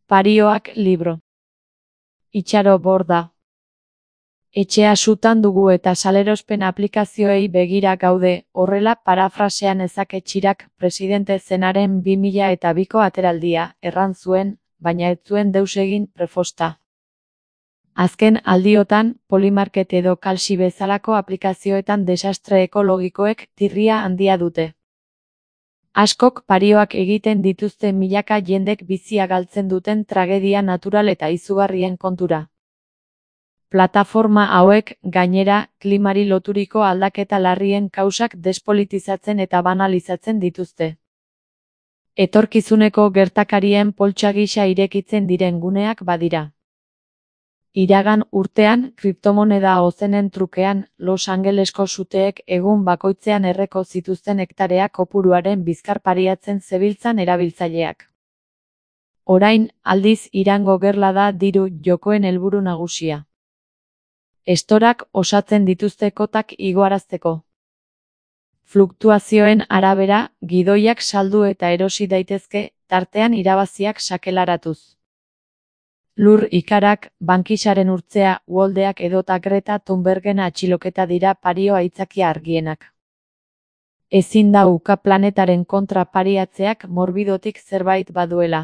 Parioak libro. Itxaro borda. Etxea sutan dugu eta salerospen aplikazioei begira gaude, horrela parafrasean ezake Txirak presidente zenaren 2002ko ateraldia, erran zuen, baina ez zuen deus egin prefosta. Azken aldiotan, Polymarket edo Kalsi bezalako aplikazioetan desastre ekologikoek tirria handia dute. Askok parioak egiten dituzte milaka jendek bizia galtzen duten tragedia natural eta izugarrien kontura. Plataforma hauek, gainera, klimari loturiko aldaketa larrien kausak despolitizatzen eta banalizatzen dituzte. Etorkizuneko gertakarien poltsa gisa irekitzen diren guneak badira. Iragan urtean, kriptomoneda ozenen trukean, Los Angelesko suteek egun bakoitzean erreko zituzten hektarea kopuruaren bizkar pariatzen zebiltzan erabiltzaileak. Orain, aldiz Irango gerla da diru jokoen helburu nagusia. Estorak osatzen dituzte kotak igoarazteko. Fluktuazioen arabera, gidoiak saldu eta erosi daitezke, tartean irabaziak sakelaratuz. Lur ikarak, bankisaren urtzea, Uoldeak edota Greta Thunbergen atxiloketa dira pario aitzakia argienak. Ezin da uka planetaren kontra pariatzeak morbidotik zerbait baduela.